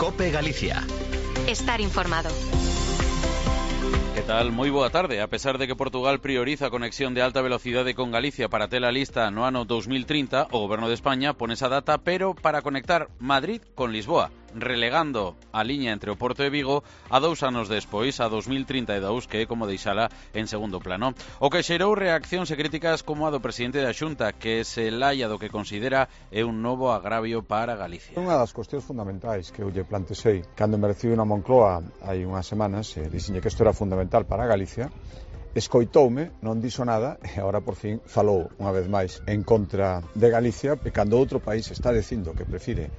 COPE Galicia. Estar informado. Que tal? Moi boa tarde. A pesar de que Portugal prioriza a conexión de alta velocidade con Galicia para ter a lista no ano 2030, o Goberno de España pone esa data, pero para conectar Madrid con Lisboa, relegando a liña entre o Porto e Vigo a 2 anos despois, a 2032, que é como deixala en segundo plano. O que xerou reaccións e críticas como a do presidente da Xunta, que se laia do que considera é un novo agravio para Galicia. Unha das cuestións fundamentais que eu lle plantexei cando me recibi na Moncloa hai unhas semanas, dixenlle que isto era fundamental para Galicia, escoitoume, non dixo nada e agora por fin falou unha vez máis en contra de Galicia, e cando outro país está dicindo que prefire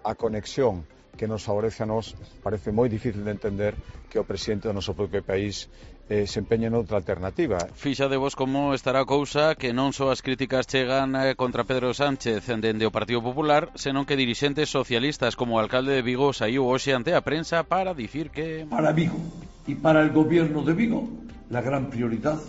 a conexión que nos favorece a nós, parece moi difícil de entender que o presidente do noso propio país se empeñe noutra alternativa. Fixadevos como estará a cousa, que non só as críticas chegan contra Pedro Sánchez dende o Partido Popular, senón que dirixentes socialistas como o alcalde de Vigo saiu hoxe ante a prensa para dicir que... Para Vigo y para el gobierno de Vigo, la gran prioridad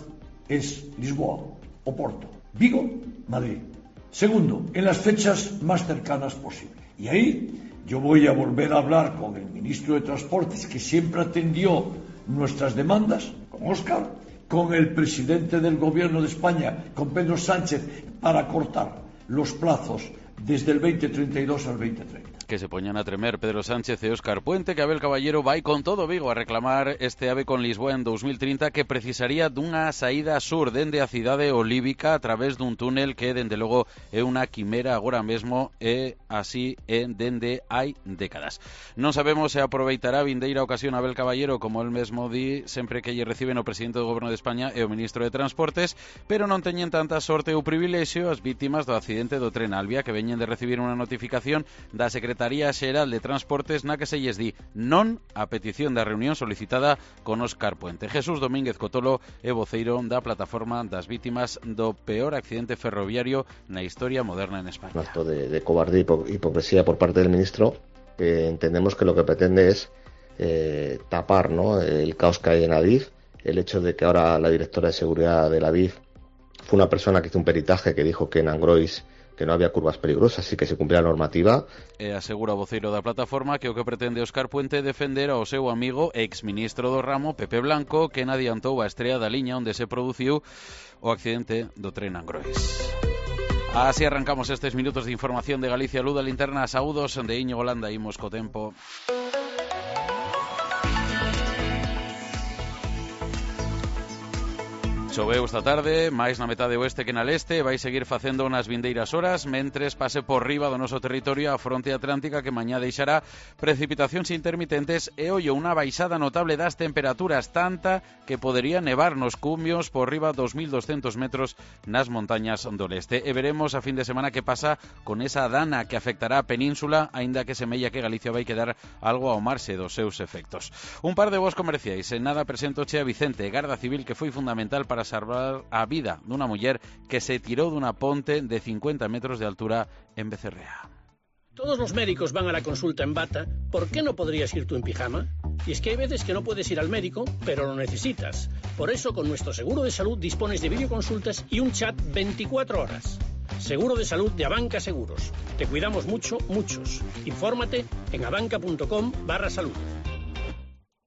es Lisboa o Porto. Vigo, Madrid. Segundo, en las fechas más cercanas posible. Y ahí yo voy a volver a hablar con el ministro de Transportes, que siempre atendió nuestras demandas, con Óscar, con el presidente del gobierno de España, con Pedro Sánchez, para cortar los plazos desde el 2032 al 2030. Que se poñan a tremer Pedro Sánchez e Óscar Puente, que Abel Caballero vai con todo Vigo a reclamar este AVE con Lisboa en 2030, que precisaría dunha saída sur dende a cidade olívica a través dun túnel que, dende logo, é unha quimera agora mesmo e así é dende hai décadas. Non sabemos se aproveitará a vindeira ocasión Abel Caballero, como el mesmo di, sempre que lle reciben o presidente do Goberno de España e o ministro de Transportes, pero non teñen tanta sorte ou privilexio as vítimas do accidente do tren Albia, que veñen de recibir unha notificación da Secretaría Xeral de Transportes na que se lles di non a petición da reunión solicitada con Óscar Puente. Jesús Domínguez Cotolo é voceiro da plataforma das vítimas do peor accidente ferroviario na historia moderna en España. Un acto de cobardía y hipocresía por parte del ministro, que entendemos que lo que pretende es tapar, ¿no?, el caos que hay en Adif, el hecho de que ahora la directora de seguridad de la Adif fue una persona que hizo un peritaje que dijo que en Angrois que non había curvas peligrosas e que se cumpría a normativa. E asegura o voceiro da plataforma que o que pretende Óscar Puente é defender ao seu amigo exministro do ramo, Pepe Blanco, que adiantou a estrea da liña onde se produciu o accidente do tren Angrois. Así arrancamos estes minutos de información de Galicia Luz da Linterna. Saúdos de Íñigo Landa, imos co tempo. Choveu esta tarde, máis na metade oeste que na leste, vai seguir facendo nas vindeiras horas, mentres pase por riba do noso territorio a fronte atlántica, que mañá deixará precipitacións intermitentes e, ollo, unha baixada notable das temperaturas, tanta que podería nevar nos cumios por riba dos 1.200 metros nas montañas do leste. E veremos a fin de semana que pasa con esa dana que afectará a península, aínda que semella que Galicia vai quedar algo ao marxe dos seus efectos. Un par de voos comerciais, en nada presentoche a Vicente, garda civil que foi fundamental para salvar a vida dunha muller que se tirou dunha ponte de 50 metros de altura en Becerrea. Todos los médicos van a la consulta en bata. ¿Por qué no podrías ir tú en pijama? Y es que hay veces que no puedes ir al médico, pero lo necesitas. Por eso, con nuestro seguro de salud dispones de videoconsultas y un chat 24 horas. Seguro de salud de Abanca Seguros. Te cuidamos mucho, muchos. Infórmate en abanca.com/salud.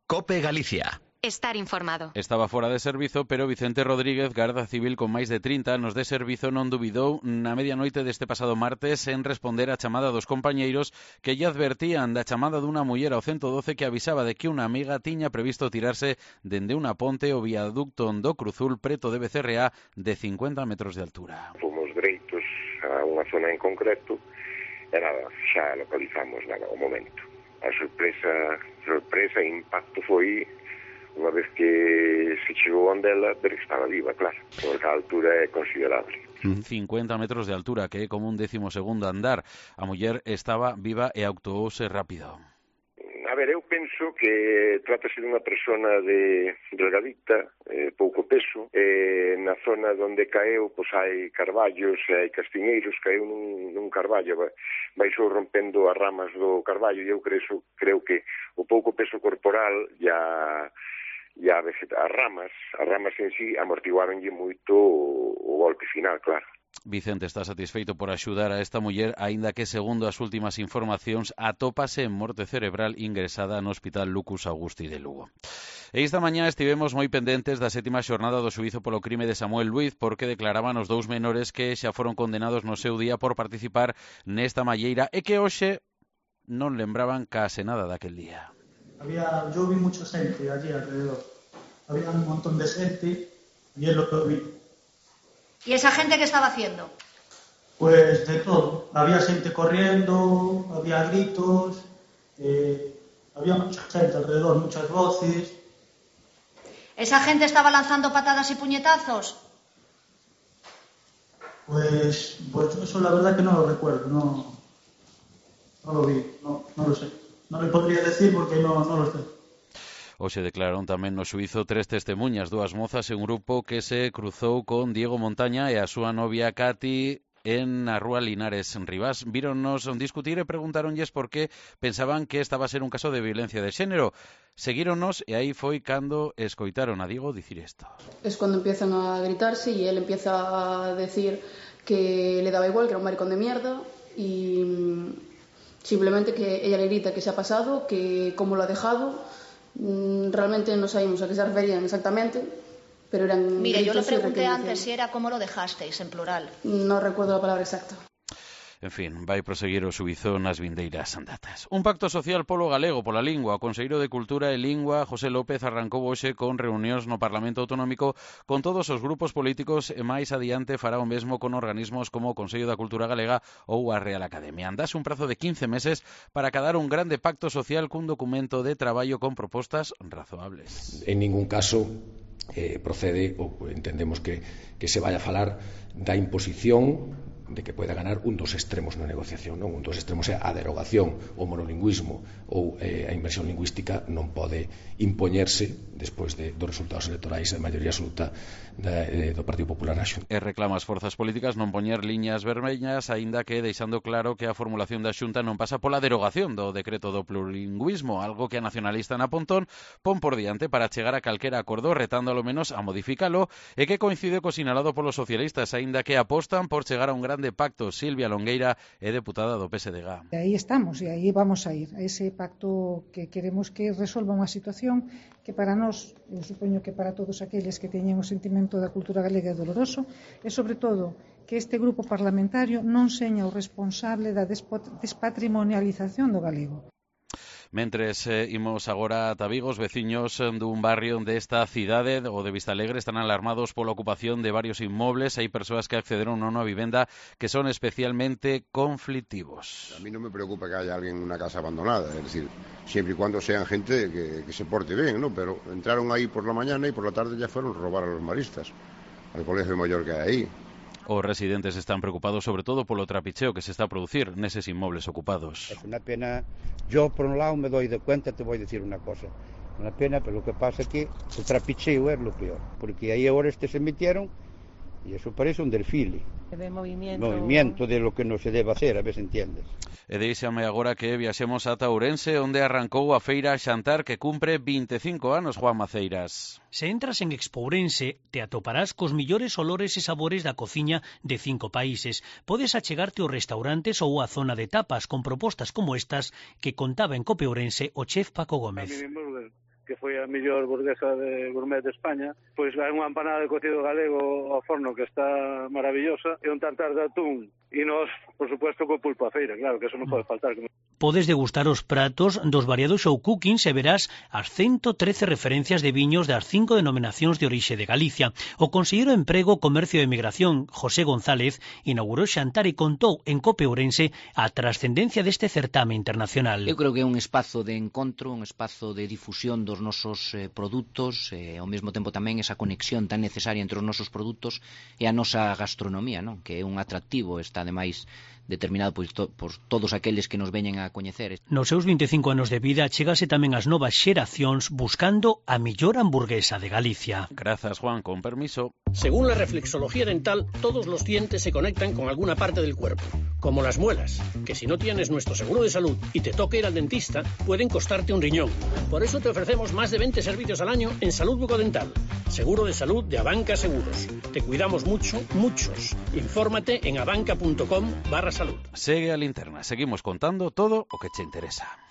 COPE Galicia. Estar informado. Estaba fora de servizo, pero Vicente Rodríguez, garda civil con máis de 30 anos de servizo, non dubidou na medianoite deste pasado martes en responder á chamada dos compañeiros que lle advertían da chamada dunha muller ao 112 que avisaba de que unha amiga tiña previsto tirarse dende unha ponte o viaducto do Cruzul preto de Becerrea de 50 metros de altura. Fomos dereitos a unha zona en concreto e nada, xa localizamos nada ao momento. A sorpresa e impacto foi unha vez que se chegou onde ela, ver que estaba viva, claro, porque a altura é considerable. 50 metros de altura, que é como un 12º andar. A muller estaba viva e actuouse rápido. A ver, eu penso que trátase dunha persona delgadita, pouco peso, na zona onde caeu, pois hai carballos e hai castiñeiros, caeu nun carballo, baixou rompendo as ramas do carballo, e eu creo que o pouco peso corporal e as ramas en sí amortiguaronlle moito o golpe final, claro. Vicente está satisfeito por axudar a esta muller, aínda que, segundo as últimas informacións, atópase en morte cerebral ingresada no Hospital Lucus Augusti de Lugo. E esta mañá estivemos moi pendentes da 7ª xornada do xuízo polo crime de Samuel Luiz, porque declaraban os 2 menores que xa foron condenados no seu día por participar nesta malleira e que hoxe non lembraban case nada daquel día. Yo vi mucha gente allí alrededor. Había un montón de gente y es lo que vi. ¿Y esa gente qué estaba haciendo? Pues de todo. Había gente corriendo, había gritos, había mucha gente alrededor, muchas voces. ¿Esa gente estaba lanzando patadas y puñetazos? Pues eso la verdad que no lo recuerdo, no lo vi, no lo sé. No le podría decir porque no lo sé. Hoxe declararon tamén no xuízo 3 testemunhas, 2 mozas e un grupo que se cruzou con Diego Montaña e a súa novia Cati en a rúa Linares en Rivas. Víronnos discutir e preguntáronlles por que pensaban que estaba a ser un caso de violencia de xénero. Seguíronnos e aí foi cando escoitaron a Diego dicir isto. Es cuando empiezan a gritarse y él empieza a decir que le daba igual, que era un maricón de mierda y simplemente que ella le grita que se ha pasado, que cómo lo ha dejado. Realmente no sabemos a qué se referían exactamente, pero eran... Mire, yo le pregunté antes si era cómo lo dejasteis, en plural. No recuerdo la palabra exacta. En fin, vai proseguir o xuízo nas vindeiras datas. Un pacto social polo galego, pola lingua. O Conselleiro de Cultura e Lingua, José López, arrancou hoxe con reunións no Parlamento Autonómico con todos os grupos políticos e máis adiante fará o mesmo con organismos como o Consello da Cultura Galega ou a Real Academia. Andase un prazo de 15 meses para acadar un grande pacto social cun documento de traballo con propostas razoables. En ningún caso procede, ou entendemos que se vaya a falar da imposición de que pueda ganar un dos extremos na negociación, non? Un dos extremos é a derogación, o monolingüismo ou a inversión lingüística non pode impoñerse despois dos resultados electorais da maioría absoluta do Partido Popular na Xunta. E reclama as forzas políticas non poñer liñas vermellas, aínda que deixando claro que a formulación da Xunta non pasa pola derogación do decreto do plurilingüismo, algo que a nacionalista na Pontón pon por diante para chegar a calquera acordo, retando ao menos a modificalo, e que coincide co sinalado polos socialistas, aínda que apostan por chegar a un grande pacto. Silvia Longueira é deputada do PSDG. Aí estamos, e aí vamos a ir a ese pacto que queremos que resolva unha situación que para nós, eu supoño que para todos aqueles que teñen o sentimento da cultura galega é doloroso, e sobre todo que este grupo parlamentario non seña o responsable da despatrimonialización do galego. Mentres imos agora ata Vigo, os veciños dun barrio desta cidade, o de Vistalegre, están alarmados pola ocupación de varios inmobles. Hai persoas que accederon a unha vivenda que son especialmente conflictivos. A mí non me preocupa que haya alguén en unha casa abandonada, es decir, siempre y cuando sean gente que se porte bien, ¿no? Pero entraron ahí por la mañana y por la tarde ya fueron a robar a los maristas, al colegio mayor que hay ahí. Os residentes están preocupados sobre todo polo trapicheo que se está a producir neses inmobles ocupados. Es una pena. Yo por un lado me doy de cuenta, te voy a decir una cosa. Una pena, pero lo que pasa es que el trapicheo es lo peor, porque ahí ahora se metieron y eso parece un desfile. De movimiento de lo que no se debe hacer, a ver se entiendes. E deixame agora que viaxemos ata Ourense, onde arrancou a feira Xantar que cumpre 25 anos, Juan Maceiras. Se entras en Expo Ourense, te atoparás cos millores olores e sabores da cociña de 5 países. Podes achegarte aos restaurantes ou a zona de tapas con propostas como estas que contaba en Cope Ourense o chef Paco Gómez. Que foi a mellor burguesa de gourmet de España, pois hai unha empanada de cocido galego ao forno que está maravillosa e un tartar de atún e nós, por supuesto, co pulpo a feira, claro, que eso non pode faltar. Podes degustar os pratos dos variados show cookings e verás as 113 referencias de viños das 5 denominacións de orixe de Galicia. O conselleiro de Emprego, Comercio e Emigración, José González, inaugurou Xantar e contou en Cope Ourense a trascendencia deste certame internacional. Eu creo que é un espazo de encontro, un espazo de difusión dos nosos produtos, ao mesmo tempo tamén esa conexión tan necesaria entre os nosos produtos e a nosa gastronomía, non? Que é un atractivo, está ademais determinado por todos aqueles que nos veñen a coñecer. Nos seus 25 anos de vida chegase tamén ás novas xeracións buscando a millor hamburguesa de Galicia. Grazas, Juan, con permiso. Según la reflexología dental, todos los dientes se conectan con alguna parte del cuerpo, como las muelas, que si no tienes nuestro seguro de salud y te toca ir al dentista, pueden costarte un riñón. Por eso te ofrecemos más de 20 servicios al año en salud bucodental. Seguro de salud de Abanca Seguros. Te cuidamos mucho, muchos. Infórmate en abanca.com/salud. Segue a Linterna. Seguimos contando todo o que te interesa.